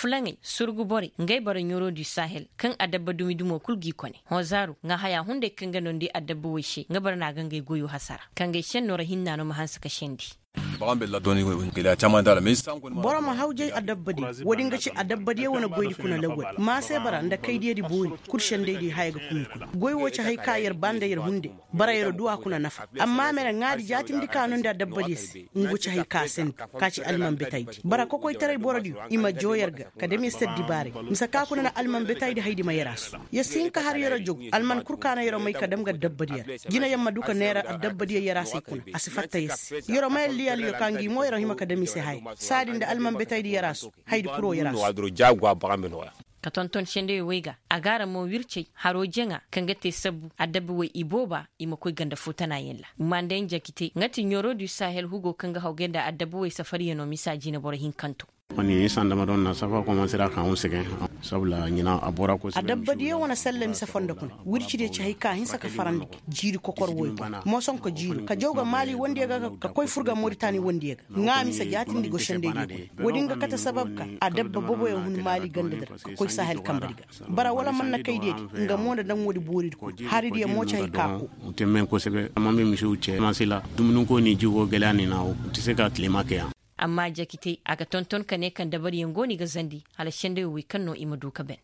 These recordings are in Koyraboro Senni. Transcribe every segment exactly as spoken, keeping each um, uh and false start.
Fulaŋey, surgu borey, ngey bara ɲoro du sahel kaŋ adabba dumi dumo kul g'i kone. Hõ zaaru, ŋaahayaa hunday kaŋ ga noondi adabba wey se nga bara na a ga ngey goyoo hasara. Kaŋ gay šennoo ra hinna no ma hanse ka sendi. Boro ma hawjay adabbadiyo, woodin ga ci adabbadiyo wane goydi kuna lawwal ma se bara nda kaydiyadi boori. Kul sendaydiyo haya ga kun i kuna goy woo ci hay ka yer ba nda yer hunde. Bara yer du a kuna nafa. Amma mere ŋaadi jaatimndi ka noondi adabbadiyo se, ngu ci hay ka send, ka ci alman betaydi bara kokoytaray borodiyo i ma joo yer ga. Ka dam yer se addibaaray, mise ka kuna na alman betaydi haydi ma yer a su. Yer si hin ka har yer a jow. Alman kul ka na yer a may ka dam ga adabbadiyo ra. Jina yer ma du ka neera adabbadiyo yer a se kuna, a si fatta yer se. Yer a may alliyaliyo ka ngi mo yer a hima ka dam i se haya. Saadi nda alman betaydi yer a su. Haydi kul woo yer a su. Ka tonton sendayoo wey ga, a ga a ra mo wircey haroo jaŋa kaŋ ga te sabbu adabba wey ibooba. I ma koy ganda foo tanaayaŋ ra. Mandayaŋ jakitey nga ti ɲoro du sahel hugoo kaŋ ga hawgay nda adabba wey safariyanoo misa jineboro hinkantoo. Ni sanda ma doŋ na safa komansira ka hun segen. Sabula ɲina a bora ko segen. Adabbadiyo wane salla mise fondo kuna. Wircidiyo ci hay ka hinsa ka farandi gi jiiri kokor woy ga, moson ka jiiro ka jaw ga maali wondiyo ga ka koy fur ga moritani wondiyo ga. Ŋaa mise jaatindi go sendaydiyo kuna. Woodin ga kate sabab ka adabba boboyo hun maali gandadi ra ka koy sahel kambadi ga. Bara wala man na kaydiyadi, nga mo nda daŋ woodi booridi kul. Haridiyo mo ci hay ka koo. Te men kosebe amma me misiw ce masila dumuni ko ni jigo gala ni na wo. Ti se ka tilema ke ya. Amma jakitey a ga tonton ka ne kaŋ dabariyaŋ go no i ga zandi hala sendayo wey kaŋ no i ma du ka ben.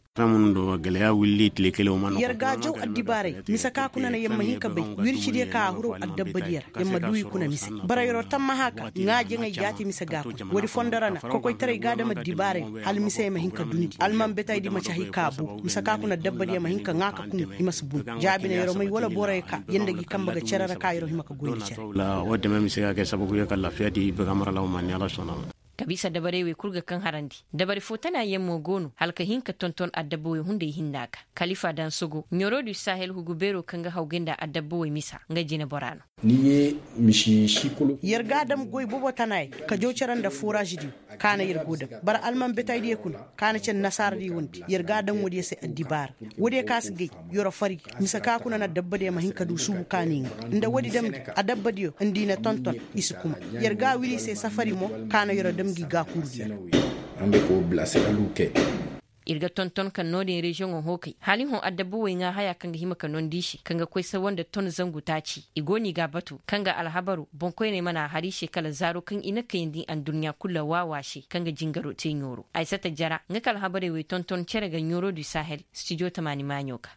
Yer ga a jaw addibaaray mise ka kuna na yer ma hin ka bay. Wircidiyo ka a huraw addabbadiyo ra yer ma du i kuna mise. Bara yeroo tammaha ka ŋaa jaŋay jaati mise ga a kuna woodi fondo ra na kokoytaray ga a dam addibaaray. Hala misey ma hin ka dundi alman betaydi ma ci hay ka a boo mise ka kuna addabbadiyo ma hin ka ŋaa ka kuna i ma si bun. Jaabi na yeroo may wala boroyo ka yer nda gi kambe ga cere ra ka yeroo hima ka goy nda cere. Wo deme mise ga kay sababu ye ka lafiya di baga maralaw ma ni ala sona. Ka bisa dabarey wey kul ga kaŋ harandi dabari foo tana yaŋ mo go no hala ka hin ka tonton adabba wey hunday hinna ga. Kalifa dansogo ɲoro du sahel hugu beeroo kaŋ ga hawgay nda adabba wey misa nga jinebora no. Yer ga a dam goy bobo tana yaŋ ka jaw cere nda forazidiyo. Ka na yer go dam bara alman betaydiyo kuna ka na cere nasaaradiyo wandi yer ga a dam woodiyo se addibaara. Woodiyo ka si gay yeroo fari ga mise ka kuna na adabbadiyo ma hin ka du suubu ka ni nga nda woodi damndi adabbadiyo nda i na tonton. I si kuma yer ga a wiri i se safari mo ka na yeroo dam gi gaakurudiyo ra. Ir ga tonton kaŋ no-din reziyoŋo hookay hala i hõ adabba wey ŋaa haya kaŋ ga hima ka nondi i se kaŋ ga koy sawa nda ton zangu taaci i go no i ga a batu kaŋ ga alhabaru boŋkoyney mana a har i se kala zaaro kaŋ i na kayandi adduɲɲa kul ra waawa se kaŋ ga jingaro te ɲooro aysata jara nga ka alhabarey wey tonton cere ga ɲooro du sahel stijo tamaani maaɲo ga.